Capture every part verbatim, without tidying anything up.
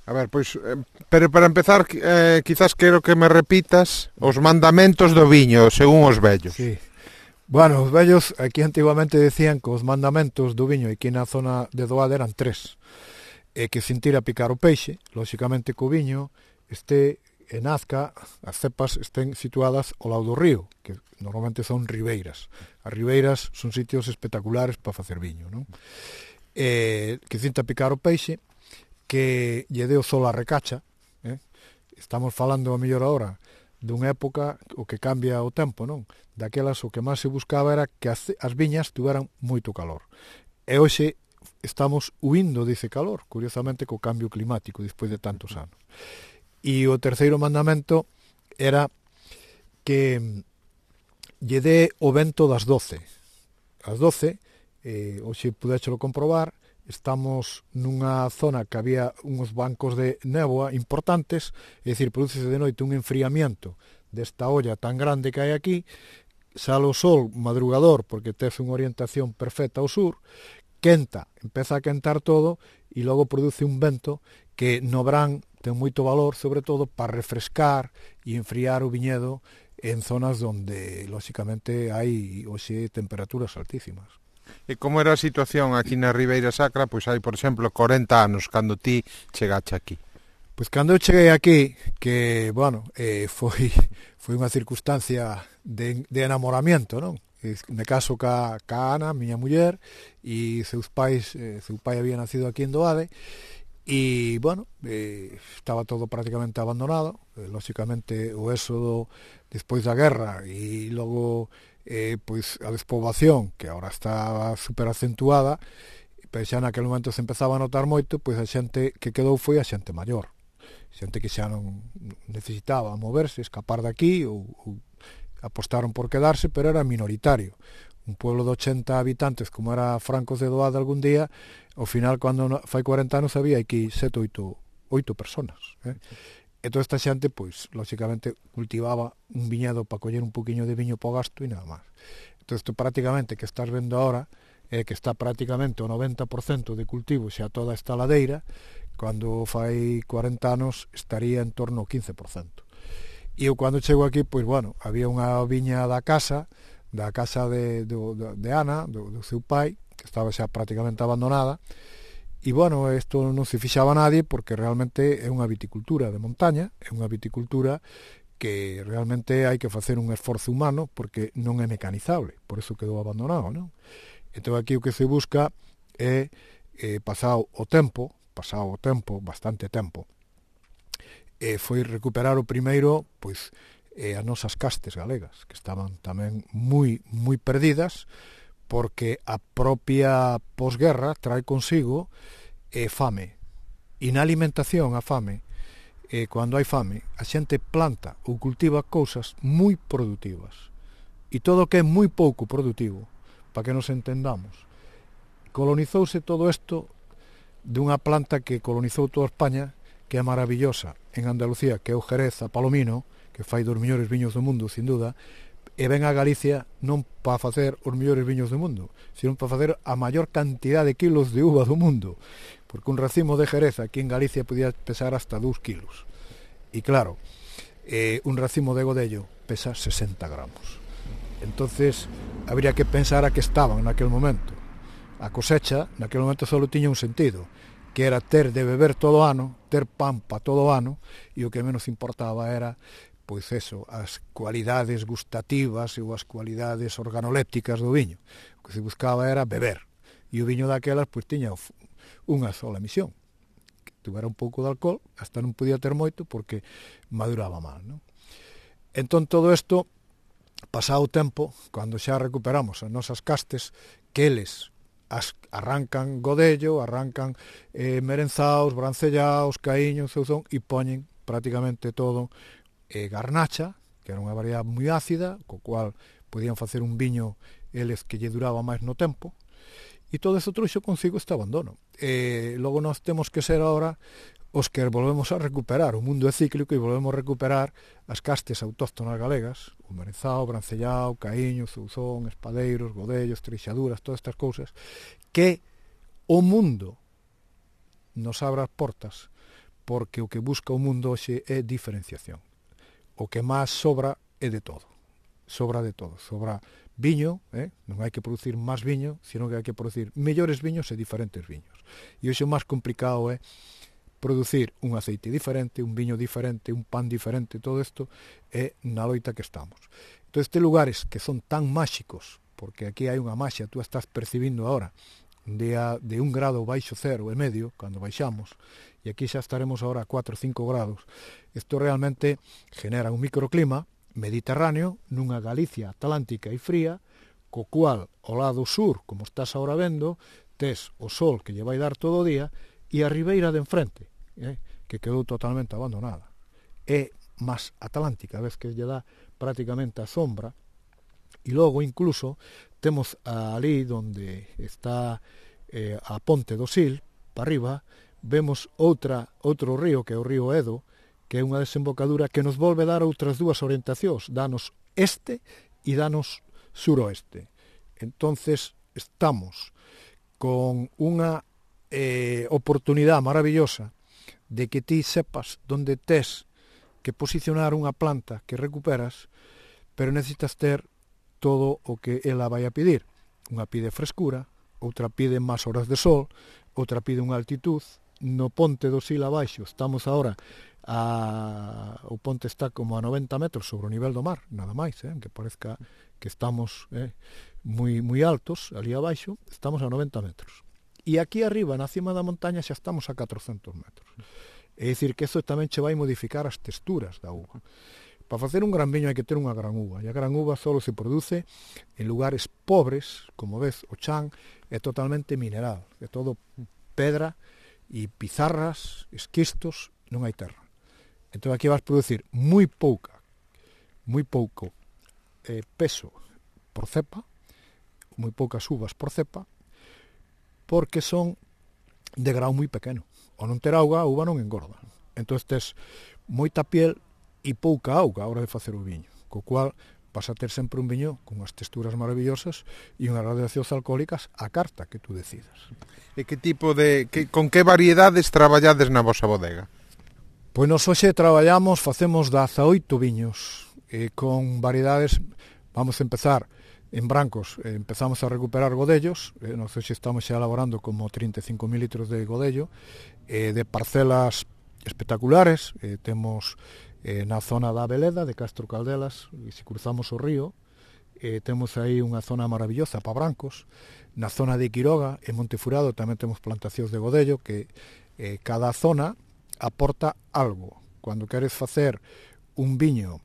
A ver, pois, eh, pero para empezar, eh, quizás quero que me repitas os mandamentos do viño, según os vellos. Sí. Bueno, os vellos aquí antiguamente decían que os mandamentos do viño aquí na zona de Doade eran tres. E que sin tira picar o peixe, lóxicamente que o viño este e nazca, as cepas estén situadas ao lado do río, que normalmente son ribeiras. As ribeiras son sitios espectaculares para facer viño, non? E que cinta picar o peixe, que lle deu sol a recacha, eh? Estamos falando a mellor ahora dunha época o que cambia o tempo, non? Daquelas o que máis se buscaba era que as, as viñas tuveran moito calor. E hoxe estamos huindo dese calor, curiosamente co cambio climático despois de tantos anos. E o terceiro mandamento era que lle dé o vento das doce. As doce, eh, hoxe pudéchelo comprobar, estamos nunha zona que había uns bancos de néboa importantes, é dicir, prodúcese de noite un enfriamiento desta olla tan grande que hai aquí, sale o sol madrugador porque tes unha orientación perfecta ao sur, quenta, empeza a quentar todo e logo produce un vento que no verán ten moito valor, sobre todo para refrescar e enfriar o viñedo en zonas onde, lóxicamente, hai hoxe temperaturas altísimas. E como era a situación aquí na Ribeira Sacra, pois hai, por exemplo, corenta anos, cando ti chegache aquí? Pois cando eu cheguei aquí, que, bueno, eh, foi, foi unha circunstancia de, de enamoramiento, non? Me caso ca, ca Ana, miña muller, e seus pais, eh, seu pai había nacido aquí en Doade, e, bueno, eh, estaba todo prácticamente abandonado, eh, lóxicamente o éxodo despois da guerra, e logo eh, pois a despoboación, que agora está super acentuada, pero xa naquele momento se empezaba a notar moito, pois a xente que quedou foi a xente maior, xente que xa non necesitaba moverse, escapar de aquí, ou, ou apostaron por quedarse, pero era minoritario. Un pueblo de ochenta habitantes, como era Francos de Doade algún día, ao final, cando fai cuarenta anos, había aquí sete, oito, oito personas, eh? E toda esta xente, pois, lóxicamente, cultivaba un viñedo para coller un poquinho de viño para o gasto e nada máis. Entón, isto prácticamente que estás vendo ahora, é que está prácticamente o noventa por cento de cultivo xa toda esta ladeira, cando fai cuarenta anos estaría en torno ao quince por cento. E eu, cando chego aquí, pois, bueno, había unha viña da casa, da casa de, de, de Ana, do, do seu pai, que estaba xa prácticamente abandonada, e, bueno, isto non se fixaba nadie porque realmente é unha viticultura de montaña, é unha viticultura que realmente hai que facer un esforzo humano porque non é mecanizable, por eso quedou abandonado, non? Entón aquí o que se busca é, eh, pasado o tempo, pasado o tempo, bastante tempo, e foi recuperar o primeiro, pois, eh, as nosas castes galegas, que estaban tamén moi, moi perdidas, porque a propia posguerra trae consigo eh, fame. E na alimentación a fame, eh, cando hai fame, a xente planta ou cultiva cousas moi productivas. E todo o que é moi pouco productivo, para que nos entendamos, colonizouse todo isto dunha planta que colonizou toda España, que é maravillosa, en Andalucía, que é o Jerez, a Palomino, que fai dos mellores viños do mundo, sin duda, e ven a Galicia non para facer os mellores viños do mundo, sino para facer a maior cantidad de kilos de uva do mundo, porque un racimo de Jerez aquí en Galicia podía pesar hasta dous kilos. E claro, eh, un racimo de Godello pesa sesenta gramos. Entonces, habría que pensar a que estaban naquele momento. A cosecha, naquele momento, só tiña un sentido, que era ter de beber todo o ano, ter pan para todo o ano, e o que menos importaba era, pois eso, as cualidades gustativas ou as cualidades organolépticas do viño. O que se buscaba era beber. E o viño daquelas, pois, tiña unha sola misión, que tuvera un pouco de alcohol, hasta non podía ter moito, porque maduraba mal, non? Entón, todo isto, pasado o tempo, cando xa recuperamos as nosas castes, que eles as arrancan godello, arrancan eh, merenzaos, brancellaos, caíños, ceuzón, e poñen prácticamente todo e garnacha, que era unha variedade moi ácida, co cual podían facer un viño eles que lle duraba máis no tempo, e todo eso trouxo consigo este abandono. E logo nós temos que ser ahora os que volvemos a recuperar, o mundo é cíclico e volvemos a recuperar as castes autóctonas galegas, o merenzao, brancellao, caíño, zouzón, espadeiros, godellos, trixaduras, todas estas cousas, que o mundo nos abra as portas porque o que busca o mundo hoxe é diferenciación. O que máis sobra é de todo. Sobra de todo. Sobra viño, eh? non hai que producir máis viño, sino que hai que producir mellores viños e diferentes viños. E hoxe o máis complicado é producir un aceite diferente, un viño diferente, un pan diferente, todo isto é na loita que estamos. Entón, estes lugares que son tan máxicos, porque aquí hai unha maxia, tú estás percibindo agora, de, a, de un grado baixo cero e medio, cando baixamos, e aquí xa estaremos agora a cuatro ou cinco grados, isto realmente genera un microclima mediterráneo nunha Galicia atlántica e fría, co cual, ao lado sur, como estás agora vendo, tes o sol que lle vai dar todo o día, e a ribeira de enfrente, eh, que quedou totalmente abandonada. É máis atlántica, ves que lle dá prácticamente a sombra, e logo incluso temos ali onde está eh, a ponte do Sil, para arriba, vemos outra outro río, que é o río Edo, que é unha desembocadura que nos volve dar outras dúas orientacións, danos este e danos suroeste. Entonces estamos con unha eh, oportunidade maravillosa de que ti sepas donde tes que posicionar unha planta que recuperas, pero necesitas ter todo o que ela vai a pedir. Unha pide frescura, outra pide máis horas de sol, outra pide unha altitud. No ponte do Sil abaixo estamos agora a... o ponte está como a noventa metros sobre o nivel do mar, nada máis, eh? que parezca que estamos eh, moi, moi altos, ali abaixo estamos a noventa metros. E aquí arriba, na cima da montaña, xa estamos a catrocentos metros. É dicir, que iso tamén che vai modificar as texturas da uva. Para facer un gran viño hai que ter unha gran uva, e a gran uva só se produce en lugares pobres, como ves, o chan é totalmente mineral, é todo pedra e pizarras, esquistos, non hai terra. Entón aquí vas producir moi pouca, moi pouco eh, peso por cepa, moi poucas uvas por cepa, porque son de grau moi pequeno. Ao non ter auga, a uva non engorda. Entón tes moita piel e pouca auga a hora de facer o viño, co cual vas a ter sempre un viño con as texturas maravillosas e unhas gradacións alcohólicas a carta que tú decidas. E que tipo de... Que, con que variedades traballades na vosa bodega? Pois nos hoxe traballamos, facemos dezaoito viños, e con variedades, vamos a empezar en brancos, eh, empezamos a recuperar godellos, eh, nos hoxe estamos xa elaborando como trinta e cinco mil litros de godello, eh, de parcelas espectaculares, eh, temos eh, na zona da Veleda, de Castro Caldelas, e se cruzamos o río, eh, temos aí unha zona maravillosa para brancos, na zona de Quiroga, en Montefurado, tamén temos plantacións de godello, que eh, cada zona aporta algo. Cando queres facer un viño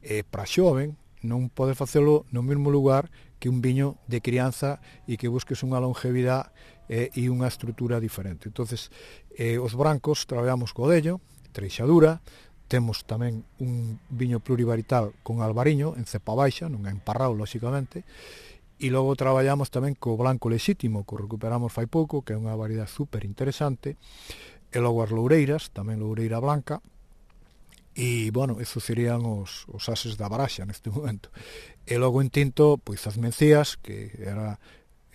eh, para xoven, non podes facelo no mesmo lugar que un viño de crianza e que busques unha longevidade eh, e unha estrutura diferente. Entonces, eh, os brancos traballamos godello, treixadura, temos tamén un viño plurivarital con albariño en cepa baixa, non é emparrado, lóxicamente, e logo traballamos tamén co blanco lexítimo, que recuperamos fai pouco, que é unha variedade super interesante, e logo as loureiras, tamén loureira blanca. E, bueno, esos serían os, os ases da baraxa neste momento. E logo en tinto, pois as mencías, que era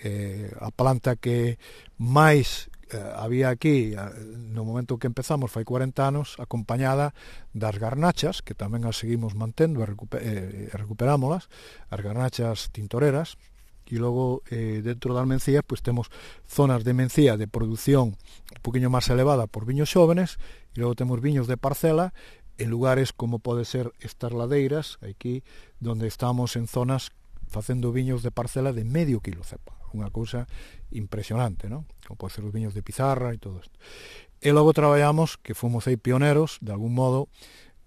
eh, a planta que máis eh, había aquí no momento que empezamos, fai cuarenta anos, acompañada das garnachas, que tamén as seguimos mantendo e recuper, eh, recuperámolas, as garnachas tintoreras, e logo eh, dentro das mencías pois temos zonas de mencía de produción un poquinho máis elevada por viños xóvenes, e logo temos viños de parcela en lugares como pode ser estas ladeiras, aquí, donde estamos en zonas facendo viños de parcela de medio kilo cepa, unha cousa impresionante, non? Como pode ser os viños de pizarra e todo isto. E logo traballamos, que fomos aí pioneros, de algún modo,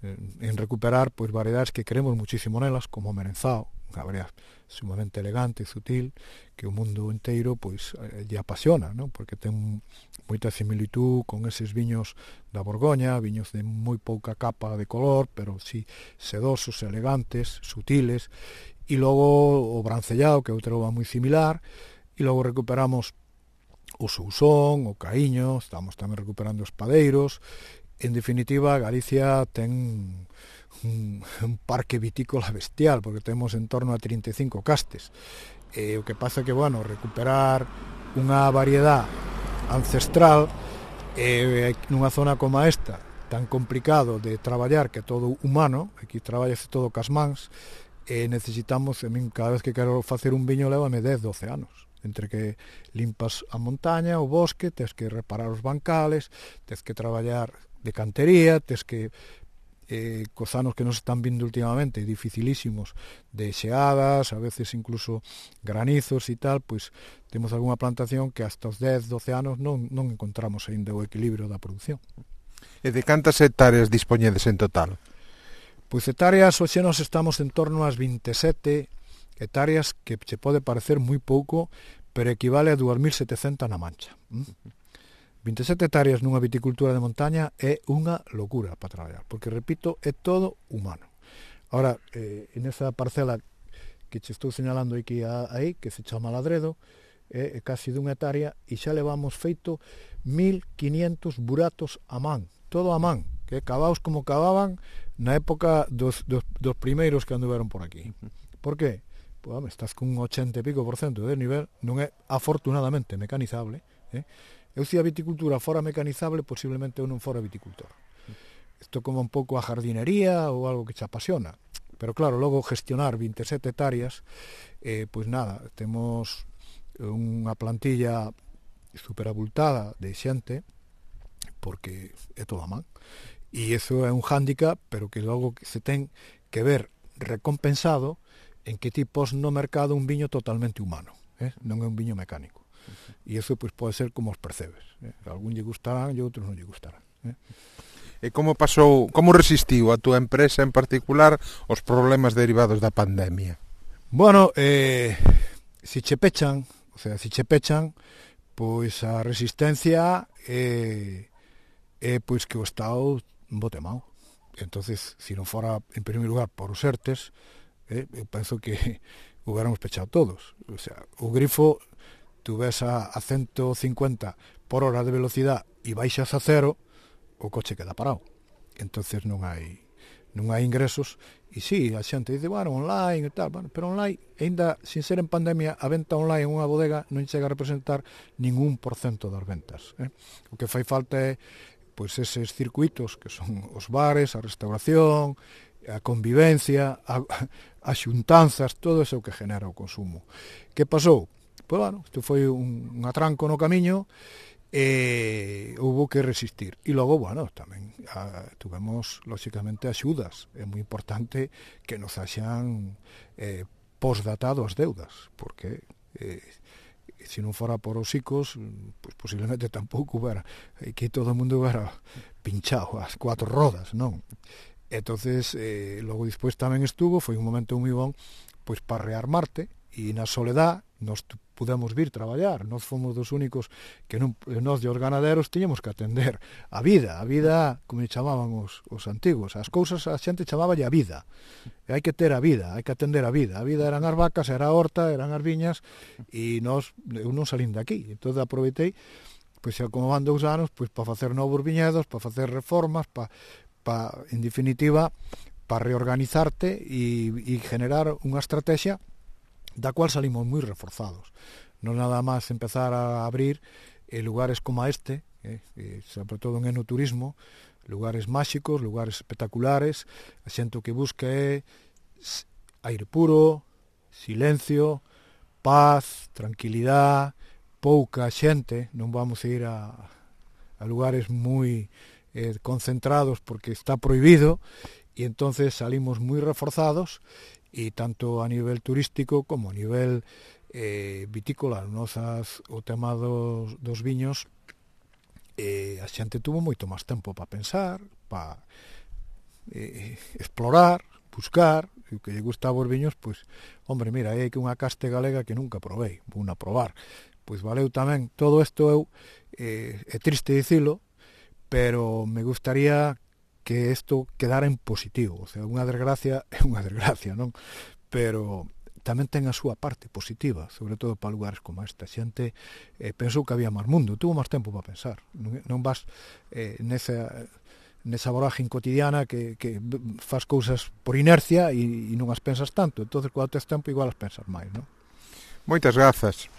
en recuperar pois variedades que queremos muchísimo nelas, como o merenzao, unha variedade sumamente elegante e sutil, que o mundo inteiro pois lle apasiona, non? Porque ten moita similitud con eses viños da Borgoña, viños de moi pouca capa de color, pero si sedosos, elegantes, sutiles, e logo o brancellao, que é outra uva moi similar, e logo recuperamos o sousón, o caíño, estamos tamén recuperando os padeiros. En definitiva, Galicia ten un, un parque vitícola bestial, porque temos en torno a trinta e cinco castes. E o que pasa que, bueno, recuperar unha variedade ancestral E nunha zona como esta, tan complicado de traballar, que é todo humano, aquí traballase todo cas mans, e necesitamos, a min cada vez que quero facer un viño lévame dez, doce anos, entre que limpas a montaña, o bosque, tes que reparar os bancales, tes que traballar de cantería, tes que eh, cos anos que nos están vindo últimamente dificilísimos de xeadas, a veces incluso granizos e tal, pois temos algunha plantación que hasta os dez, doce anos non, non encontramos aínda o equilibrio da produción. E de cantas hectáreas dispoñedes en total? Pois hectáreas, hoxe nos estamos en torno ás veintesete hectáreas, que se pode parecer moi pouco, pero equivale a dúas mil setecentas na Mancha. veintesete hectáreas nunha viticultura de montaña é unha locura para traballar, porque, repito, é todo humano. Ahora, eh, en esa parcela que che estou señalando aquí, aí, que se chama Ladredo, é, é casi dunha hectárea, e xa levamos feito mil quinientos buratos a man, todo a man, que cavaos como cavaban na época dos, dos, dos primeiros que anduveron por aquí. Por que? Pois, home, estás con un ochenta e pico por cento de nivel, non é afortunadamente mecanizable, eh? Eu se a viticultura fora mecanizable, posiblemente eu non fora viticultor. Isto como un pouco a jardinería ou algo que te apasiona. Pero claro, logo gestionar veintesete hectáreas, eh, pois nada, temos unha plantilla superabultada de xente, porque é todo a man. E iso é un hándicap, pero que logo se ten que ver recompensado en que ti pos no mercado un viño totalmente humano, eh? Non é un viño mecánico. E iso pois pode ser como os percebes, eh? Algún lle gustarán e outros non lle gustarán, eh? E como pasou, como resistiu a túa empresa en particular os problemas derivados da pandemia? Bueno, eh, si che pechan, o sea, si che pechan, pois a resistencia é, é pois que o Estado bote mau. Entonces, si non fora en primeiro lugar por os ERTES, eh, eu penso que hubiéramos pechado todos. O sea, o grifo tú ves a, a ciento cincuenta por hora de velocidade e baixas a cero, o coche queda parado. Entonces non hai non hai ingresos, e si, sí, a xente dice, bueno, online e tal, bueno, pero online, ainda sin ser en pandemia, a venta online en unha bodega non chega a representar ningún por cento das ventas, eh? O que fai falta é pois eses circuitos que son os bares, a restauración, a convivencia, a, a xuntanzas, todo eso que genera o consumo. Que pasou? Pois, bueno, isto foi un, un atranco no camiño e houve que resistir. E logo, bueno, tamén a, tuvemos, lóxicamente, axudas. É moi importante que nos haxan eh, postdatado as deudas, porque eh, se non fora por os ICOs, pues, posiblemente tampouco hubiera, que todo o mundo hubiera pinchado as cuatro rodas, non? Entonces, eh, logo despois tamén estuvo, foi un momento moi bon, pois para rearmarte, e na soledad nos pudemos vir traballar, nós fomos dos únicos que non, nós de os ganaderos tiñamos que atender a vida, a vida como chamaban os, os antigos, as cousas a xente chamaballe a vida, e hai que ter a vida, hai que atender a vida, a vida eran as vacas, era a horta, eran as viñas, e nós, eu non salín de aquí, entón aproveitei, pois xa como van dous anos, pois para facer novos viñedos, para facer reformas, para, para en definitiva, para reorganizarte e, e generar unha estrategia da cual salimos moi reforzados. Non nada máis empezar a abrir eh, lugares como este, eh, eh, sobre todo en enoturismo, lugares máxicos, lugares espectaculares, a xente que busca é aire puro, silencio, paz, tranquilidade, pouca xente, non vamos a ir a, a lugares moi eh, concentrados porque está prohibido, e entonces salimos moi reforzados, e tanto a nivel turístico como a nivel eh, vitícola, nosas, o tema dos, dos viños, eh, a xente tuvo moito máis tempo para pensar, para eh, explorar, buscar, e o que lle gustaba os viños, pois, hombre, mira, hai que unha caste galega que nunca provei, vou a probar. Pois valeu tamén, todo isto eu, eh, é triste dicilo, pero me gustaría que isto quedara en positivo, o sea, unha desgracia é unha desgracia, non? Pero tamén ten a súa parte positiva, sobre todo para lugares como esta. A xente eh, pensou que había máis mundo, tuvo máis tempo para pensar, non, non vas eh, nesa, nesa vorágine cotidiana que, que faz cousas por inercia e, e non as pensas tanto, entonces, cando tes tempo, igual as pensas máis, non? Moitas grazas.